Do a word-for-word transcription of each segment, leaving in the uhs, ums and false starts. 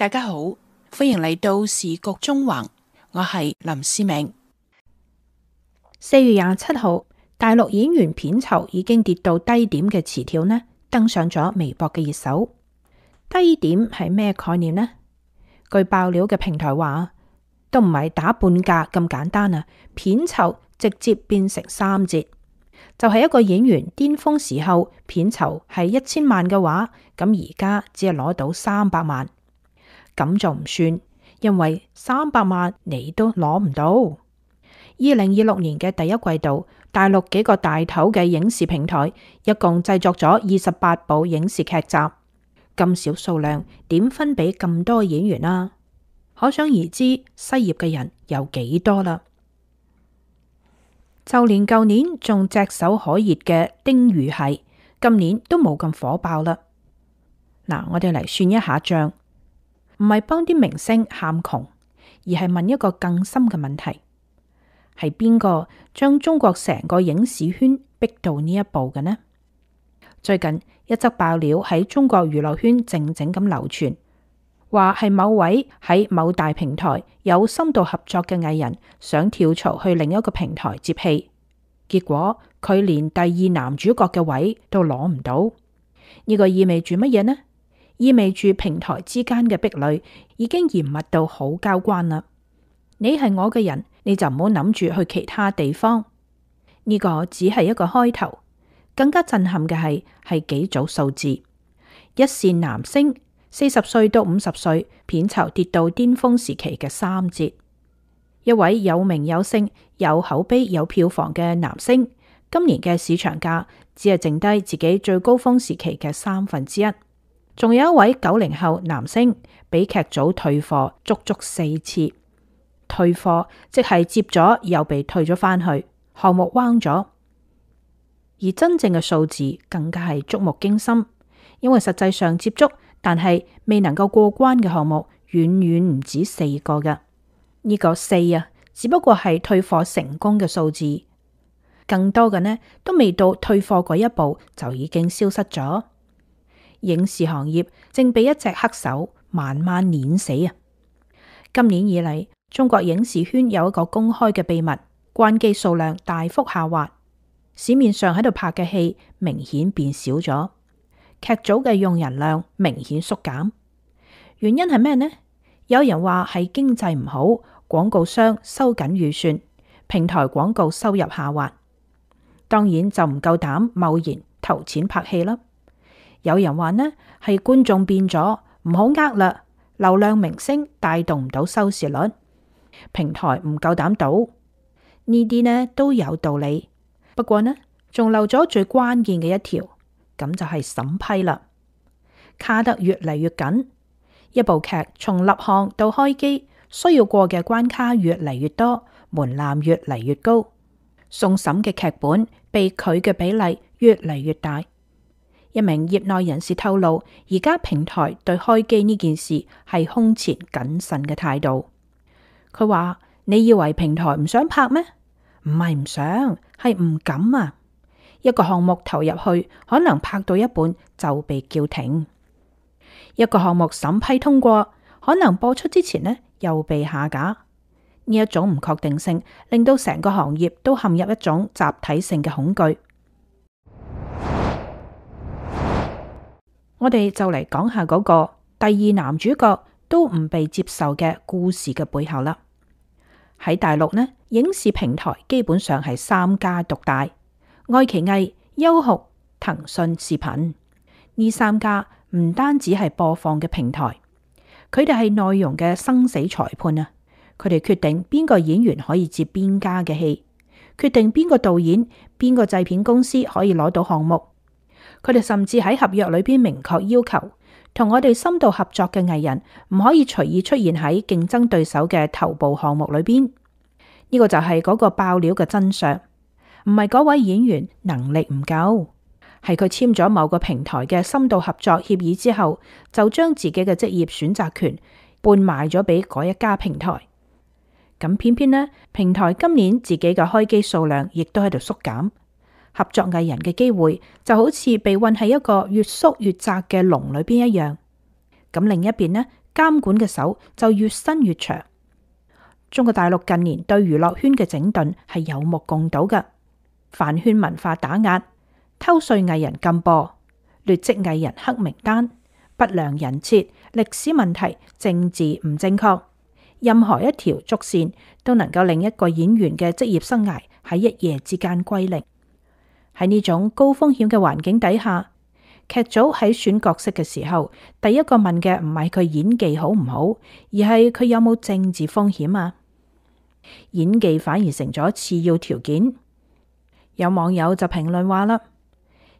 大家好，歡迎嚟到時局中橫，我係林思明。四月廿七號，大陸演員片酬已經跌到低點嘅詞條呢，登上咗微博嘅熱搜。低點係咩概念呢？據爆料嘅平台話，都唔係打半價咁簡單啊，片酬直接變成三折。就係一個演員巔峰時候片酬係一千萬嘅話，咁而家只係攞到三百萬，咁就唔算，因為三百萬你都攞唔到。二零二六年嘅第一季度，大陸幾個大頭嘅影視平台一共製作咗二十八部影視劇集，咁少數量點分俾咁多演員啊？可想而知，失業嘅人有幾多啦。就連舊年仲炙手可熱嘅丁禹兮，今年都冇咁火爆啦。嗱，我哋嚟算一下賬，唔係幫啲明星喊窮，而係問一個更深嘅問題：係邊個將中國成個影視圈逼到呢一步嘅呢？最近一則爆料喺中國娛樂圈靜靜咁流傳，話係某位喺某大平台有深度合作嘅藝人想跳槽去另一個平台接戲，結果佢連第二男主角嘅位都攞唔到。呢個意味住乜嘢呢？意味住平台之間嘅壁壘已經嚴密到好交關啦。你係我嘅人，你就唔好諗住去其他地方。呢個只係一個開頭，更加震撼嘅係係幾組數字：一線男星四十歲到五十歲，片酬跌到巔峰時期嘅三折；一位有名有姓、有口碑、有票房嘅男星，今年嘅市場價只係剩低自己最高峰時期嘅三分之一。仲有一位九零後男星，俾劇組退貨足足四次。退貨即係接咗又被退咗返去，項目彎咗。而真正嘅數字更加係觸目驚心，因為實際上接觸但係未能夠過關嘅項目遠遠唔止四個嘅。呢個四啊，只不過係退貨成功嘅數字，更多嘅呢都未到退貨嗰一步就已經消失咗。影視行業正被一隻黑手慢慢碾死啊！今年以嚟，中國影視圈有一個公開嘅秘密，關機數量大幅下滑，市面上喺度拍嘅戲明顯變少咗，劇組嘅用人量明顯縮減。原因係咩呢？有人話係經濟唔好，廣告商收緊預算，平台廣告收入下滑，當然就唔夠膽貿然投錢拍戲啦。有人話呢係觀眾變咗，唔好呃啦，流量明星帶動唔到收視率，平台唔夠膽賭，呢啲呢都有道理。不過呢，仲漏咗最關鍵嘅一條，咁就係審批啦，卡得越嚟越緊。一部劇從立項到開機，需要過嘅關卡越嚟越多，門檻越嚟越高，送審嘅劇本被拒嘅比例越嚟越大。一名業內人士透露，而家平台對開機呢件事係空前謹慎嘅態度。佢話：你以為平台唔想拍咩？唔係唔想，係唔敢啊！一個項目投入去，可能拍到一半就被叫停；一個項目審批通過，可能播出之前呢又被下架。呢一種唔確定性，令到成個行業都陷入一種集體性嘅恐懼。我哋就嚟講下嗰個第二男主角都唔被接受嘅故事嘅背後啦。喺大陸呢，影視平台基本上係三家獨大，愛奇藝、優酷、騰訊視頻。呢三家唔單止係播放嘅平台，佢哋係內容嘅生死裁判啊！佢哋決定邊個演員可以接邊家嘅戲，決定邊個導演、邊個製片公司可以攞到項目。佢哋甚至喺合約裏邊明確要求，同我哋深度合作嘅藝人唔可以隨意出現喺競爭對手嘅頭部項目裏邊。呢個就係嗰個爆料嘅真相，唔係嗰位演員能力唔夠，係佢簽咗某個平台嘅深度合作協議之後，就將自己嘅職業選擇權半賣咗俾嗰一家平台。咁偏偏呢，平台今年自己嘅開機數量亦都喺度縮減。合作藝人嘅機會就好似被困喺一個越縮越窄嘅籠裏邊一樣。咁另一邊呢，監管嘅手就越伸越長。中國大陸近年對娛樂圈嘅整頓係有目共睹嘅，飯圈文化打壓、偷稅藝人禁播、劣跡藝人黑名單、不良人設、歷史問題、政治唔正確，任何一條軸線都能夠令一個演員嘅職業生涯喺一夜之間歸零。喺呢種高風險嘅環境底下，劇組喺選角色嘅時候，第一個問嘅唔係佢演技好唔好，而係佢有冇政治風險啊。演技反而成咗次要條件。有網友就評論話啦，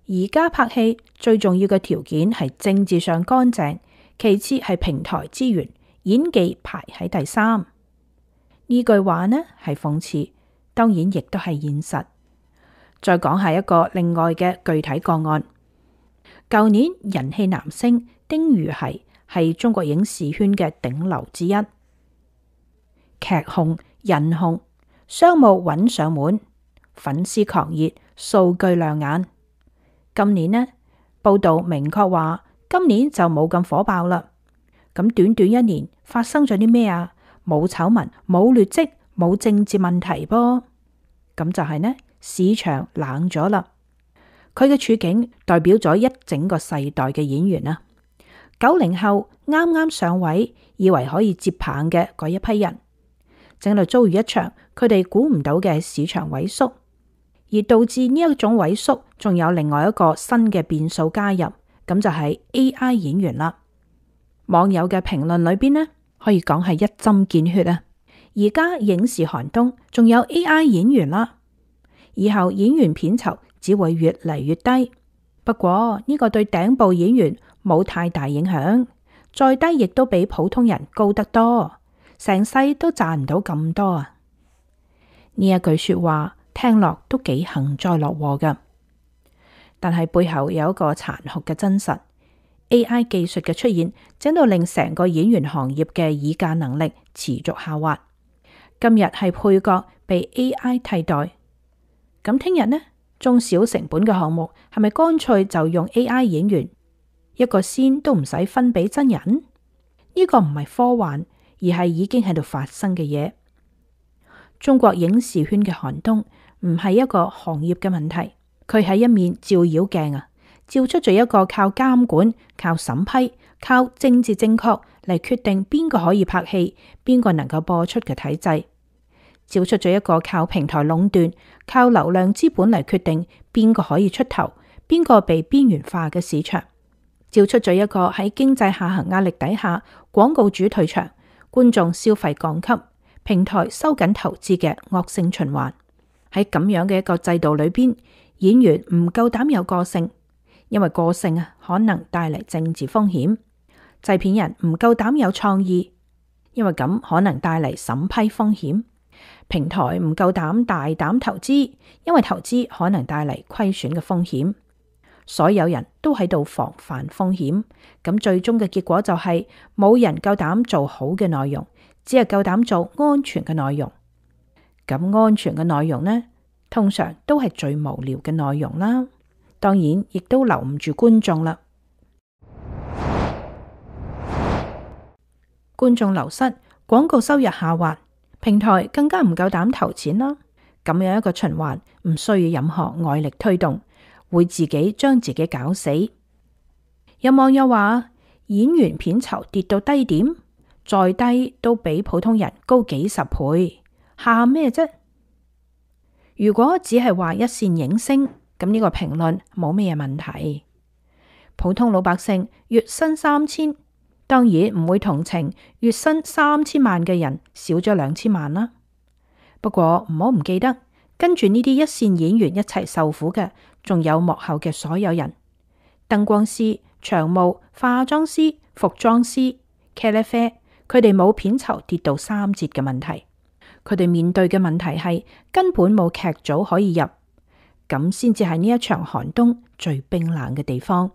而家拍戲最重要嘅條件係政治上乾淨，其次係平台資源，演技排喺第三。呢句話呢係諷刺，當然亦都係現實。再講下一個另外嘅具體個案，舊年人氣男星丁禹兮係中國影視圈嘅頂流之一，劇紅人紅，商務穩上門，粉絲狂熱，數據亮眼。今年呢，報道明確話今年就冇咁火爆啦。咁短短一年發生咗啲咩啊？冇醜聞，冇劣跡，冇政治問題噃。咁就係呢，市場冷咗啦。佢嘅處境代表咗一整個世代嘅演員啊。九零後啱啱上位，以為可以接棒嘅嗰一批人，正嚟遭遇一場佢哋估唔到嘅市場萎縮，而導致呢一種萎縮，仲有另外一個新嘅變數加入，咁就係 A I 演員啦。網友嘅評論裏邊呢，可以講係一針見血啊！而家影視寒冬，仲有 A I 演員啦，以後演員片酬只會越嚟越低。不過呢個對頂部演員冇太大影響，再低亦都比普通人高得多，成世都賺唔到咁多啊！呢一句說話聽落都幾幸災樂禍噶，但係背後有一個殘酷嘅真實。A I 技術嘅出現，整到令成個演員行業嘅議價能力持續下滑。今日係配角被 A I 替代，咁聽日呢？中小成本嘅項目係咪乾脆就用 A I 演員，一個仙都唔使分俾真人？呢個唔係科幻，而係已經喺度發生嘅嘢。中國影視圈嘅寒冬唔係一個行業嘅問題，佢係一面照妖鏡啊！照出咗一個靠監管、靠審批、靠政治正確嚟決定邊個可以拍戲、邊個能夠播出嘅體制，照出咗一個靠平台壟斷、靠流量資本嚟決定邊個可以出頭、邊個被邊緣化嘅市場，照出咗一個喺經濟下行壓力底下，廣告主退場、觀眾消費降級、平台收緊投資嘅惡性循環。喺咁樣嘅一個制度裏邊，演員唔夠膽有個性。因為個性啊，可能帶嚟政治風險；製片人唔夠膽有創意，因為咁可能帶嚟審批風險；平台唔夠膽大膽投資，因為投資可能帶嚟虧損嘅風險。所有人都喺度防範風險，咁最終嘅結果就係冇人夠膽做好嘅內容，只係夠膽做安全嘅內容。咁安全嘅內容呢，通常都係最無聊嘅內容啦。當然，亦都留唔住觀眾啦。觀眾流失，廣告收入下滑，平台更加唔夠膽投錢啦。咁樣一個循環，唔需要任何外力推動，會自己將自己搞死。有網友話，演員片酬跌到低點，再低都比普通人高幾十倍，喊咩啫？如果只係話一線影星，咁呢個評論冇咩問題。普通老百姓月薪三千，當然唔會同情月薪三千萬嘅人少咗兩千萬啦。不過唔好唔記得，跟住呢啲一線演員一齊受苦嘅，仲有幕後嘅所有人：燈光師、場務、化妝師、服裝師、茄喱啡，佢哋冇片酬跌到三折嘅問題，佢哋面對嘅問題係根本冇劇組可以入。咁先至係呢一場寒冬最冰冷嘅地方。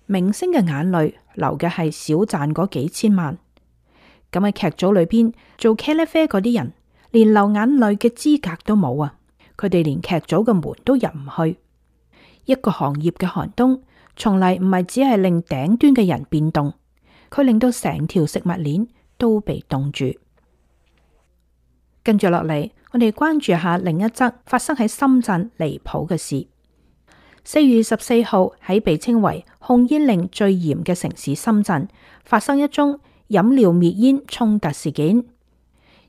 明星嘅眼淚流嘅係少賺嗰幾千萬，咁喺劇組裏邊做茄喱啡嗰啲人，連流眼淚嘅資格都冇啊！佢哋連劇組嘅門都入唔去。一個行業嘅寒冬，從嚟唔係只係令頂端嘅人變動，佢令到成條食物鏈都被凍住。跟住落嚟，我哋關注下另一則發生喺深圳離譜嘅事。四月十四號喺被稱為控煙令最嚴嘅城市深圳，發生一宗飲料滅煙衝突事件。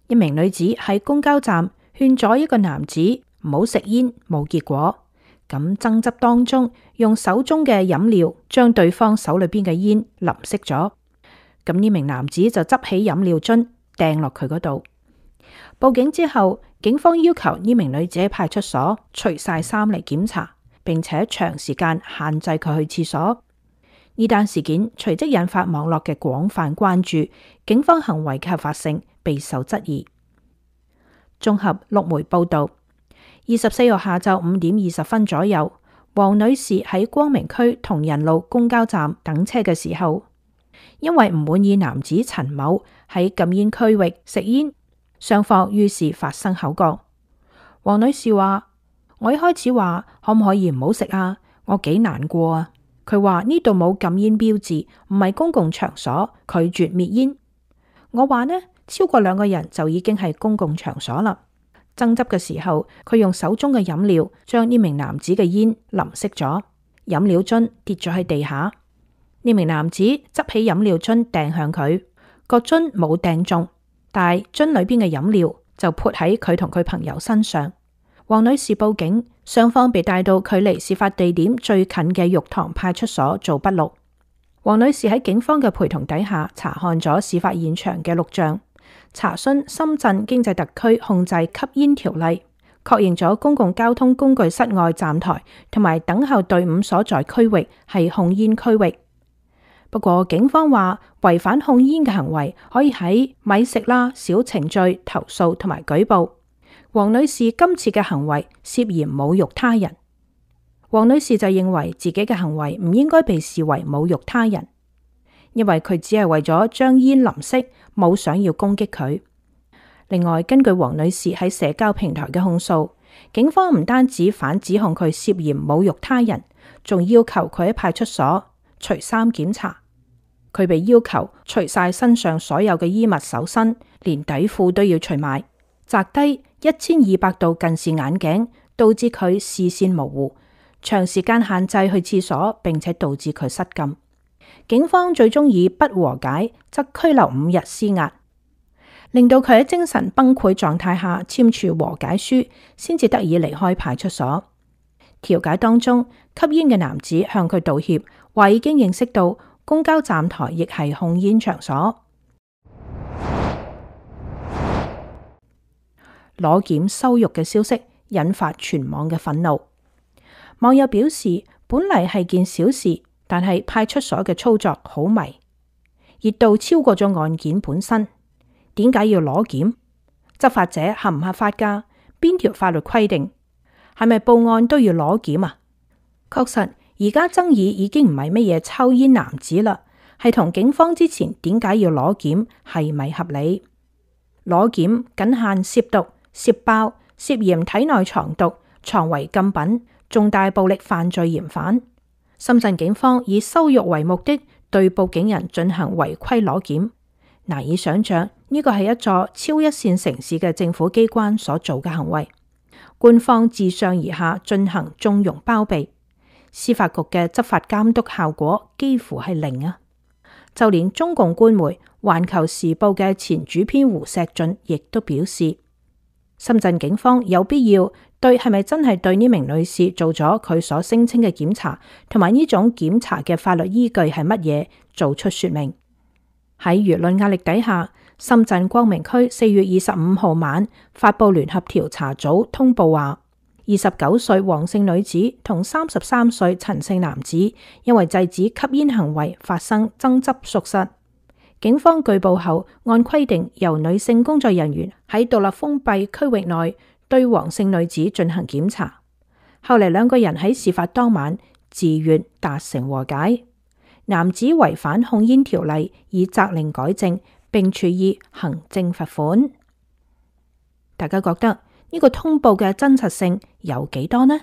一名女子喺公交站勸咗一個男子唔好食煙，冇結果。咁爭執當中，用手中嘅飲料將對方手裏邊嘅煙淋熄咗。咁呢名男子就執起飲料樽掟落佢嗰度。報警之後，警方要求呢名女子喺派出所除晒衫嚟檢查，並且長時間限制佢去廁所。呢單事件隨即引發網絡嘅廣泛關注，警方行為嘅合法性備受質疑。綜合陸媒報道，二十四號下晝五點二十分左右，黃女士喺光明區同仁路公交站等車嘅時候，因為唔滿意男子陳某喺禁煙區域食煙，雙方於是發生口角。黃女士話：我一開始話可唔可以唔好食啊？我幾難過啊！佢話呢度冇禁煙標誌，唔係公共場所，拒絕滅煙。我話呢，超過兩個人就已經係公共場所啦。爭執嘅時候，佢用手中嘅飲料將呢名男子嘅煙淋熄咗，飲料樽跌咗喺地下。呢名男子執起飲料樽掟向佢，個樽冇掟中，但係樽裏邊嘅飲料就潑喺佢同佢朋友身上。黃女士報警，雙方被帶到距離事發地點最近嘅玉堂派出所做筆錄。黃女士喺警方嘅陪同底下查看咗事發現場嘅錄像，查詢深圳經濟特區控制吸煙條例，確認咗公共交通工具室外站台同埋等候隊伍所在區域係控煙區域。不過警方話，違反控煙嘅行為可以喺咪食啦小程序投訴同埋舉報。黃女士今次嘅行為涉嫌侮辱他人。黃女士就認為自己嘅行為唔應該被視為侮辱他人，因為佢只係為咗將煙淋熄，冇想要攻擊佢。另外，根據黃女士喺社交平台嘅控訴，警方唔單止反指控佢涉嫌侮辱他人，仲要求佢喺派出所除衫檢查。佢被要求除晒身上所有嘅衣物搜身，連底褲都要除埋，摘低一千二百度近視眼鏡，導致佢視線模糊，長時間限制去廁所，並且導致佢失禁。警方最終以不和解則拘留五日施壓，令到佢喺精神崩潰狀態下簽署和解書，先至得以離開派出所。調解當中，吸煙嘅男子向佢道歉，話已經認識到公交站台亦係控煙場所。裸檢羞辱嘅消息引發全網嘅憤怒。網友表示，本嚟係件小事，但係派出所嘅操作好迷，熱度超過咗案件本身。點解要裸檢？執法者合唔合法㗎？邊條法律規定？係咪報案都要裸檢啊？確實，而家爭議已經唔係乜嘢抽煙男子啦，係同警方之前點解要裸檢係咪合理？裸檢僅限涉毒、涉爆、涉嫌體內藏毒、藏違禁品、重大暴力犯罪嫌犯。深圳警方以羞辱為目的對報警人進行違規裸檢，難以想象呢個係一座超一線城市嘅政府機關所做嘅行為。官方自上而下進行縱容包庇，司法局嘅執法監督效果幾乎係零啊！就連中共官媒《環球時報》嘅前主編胡錫進亦都表示，深圳警方有必要對係咪真係對呢名女士做咗佢所聲稱嘅檢查，同埋呢種檢查嘅法律依據係乜嘢，做出說明。喺輿論壓力底下，深圳光明區四月二十五號晚發布聯合調查組通報話，二十九歲黃姓女子同三十三歲陳姓男子因為制止吸煙行為發生爭執屬實。警方據報後，按規定由女性工作人員喺獨立封閉區域內對黃姓女子進行檢查。後嚟兩個人喺事發當晚自願達成和解，男子違反控煙條例，以責令改正，並處以行政罰款。大家覺得呢個通報嘅真實性有幾多呢？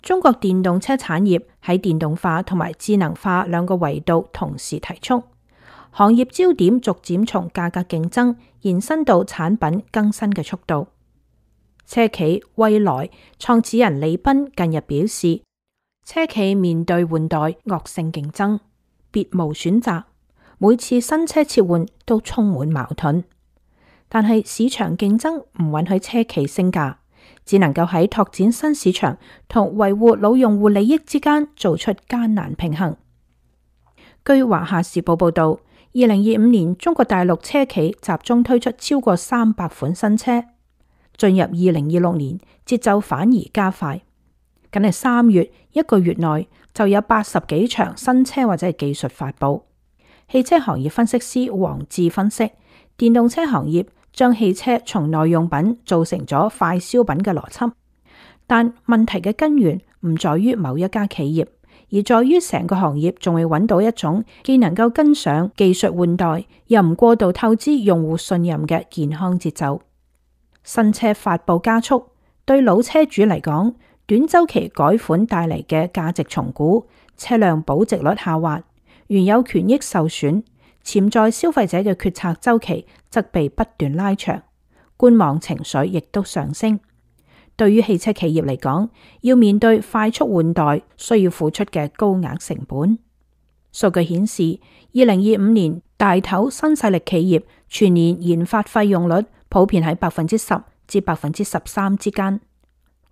中國電動車產業喺電動化同埋智能化兩個維度同時提速，行業焦點逐漸從價格競爭延伸到產品更新嘅速度。車企蔚來創始人李斌近日表示，車企面對換代惡性競爭，別無選擇，每次新車切換都充滿矛盾。但係市場競爭唔允許車企升價，只能夠喺拓展新市場同維護老用戶利益之間做出艱難平衡。據華夏時報報道，二零二五年中國大陸車企集中推出超過三百款新車，進入二零二六年節奏反而加快。僅係三月一個月內就有八十幾場新車或者係技術發佈。汽車行業分析師黃志分析，電動車行業將汽車從耐用品做成咗快消品嘅邏輯，但問題嘅根源唔在於某一家企業，而在於成個行業仲未揾到一種既能夠跟上技術換代，又唔過度透支用戶信任嘅健康節奏。新車發佈加速，對老車主嚟講，短周期改款帶嚟嘅價值重估、車輛保值率下滑、原有權益受損，潛在消費者嘅決策周期則被不斷拉長，觀望情緒亦都上升。對於汽車企業嚟講，要面對快速換代需要付出嘅高額成本。數據顯示，二零二五年大頭新勢力企業全年研發費用率普遍喺百分之十至百分之十三之間。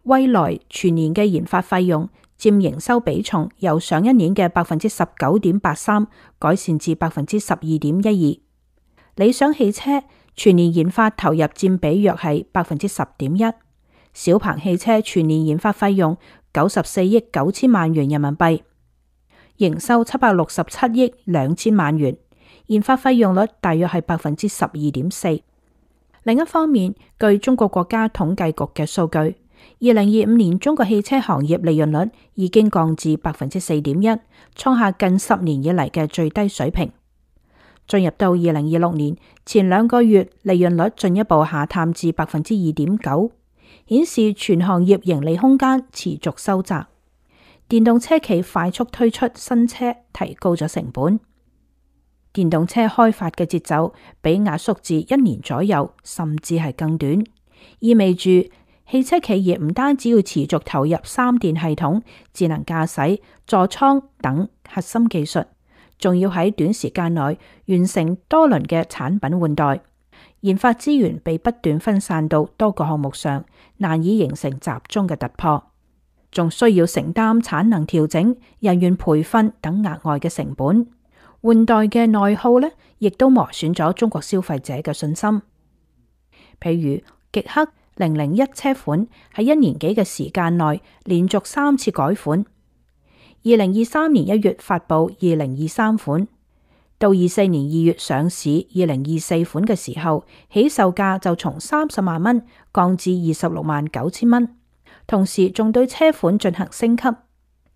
蔚來全年嘅研發費用佔營收比重由上一年嘅百分之十九點八三改善至百分之十二點一二。理想汽車全年研發投入佔比約係百分之十點一。小鵬汽車全年研發費用九十四億九千萬元人民幣，營收七百六十七億兩千萬元，研發費用率大約係百分之十二點四。另一方面，據中國國家統計局嘅數據，二零二五年中國汽車行業利潤率已經降至百分之四點一，創下近十年以嚟嘅最低水平。進入到二零二六年，前兩個月利潤率進一步下探至百分之二點九，顯示全行業盈利空間持續收窄。電動車企快速推出新車，提高咗成本。電動車開發嘅節奏被壓縮至一年左右，甚至係更短，意味住汽車企業唔單止要持續投入三電系統、智能駕駛、座艙等核心技術，仲要喺短時間內完成多輪嘅產品換代。研發資源被不斷分散到多個項目上，難以形成集中嘅突破，仲需要承擔產能調整、人員培訓等額外嘅成本。換代嘅內耗呢，亦都磨損咗中國消費者嘅信心。譬如極氪零零一車款喺一年幾嘅時間內連續三次改款，二零二三年一月發佈二零二三款，到二四年二月上市二零二四款嘅時候，起售價就從三十萬蚊降至二十六萬九千蚊，同時仲對車款進行升級、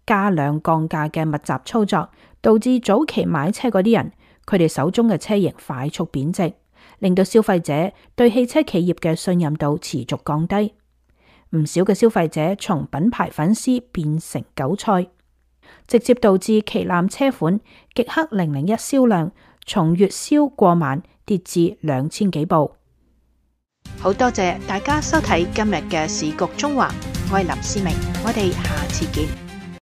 加量降價嘅密集操作，導致早期買車嗰啲人，佢哋手中嘅車型快速貶值，令到消費者對汽車企業嘅信任度持續降低。唔少嘅消費者從品牌粉絲變成韭菜，直接導致旗艦車款極氪零零一銷量從月銷過萬跌至兩千幾部。好多謝大家收睇今日嘅時局中華，我係林思明，我哋下次見。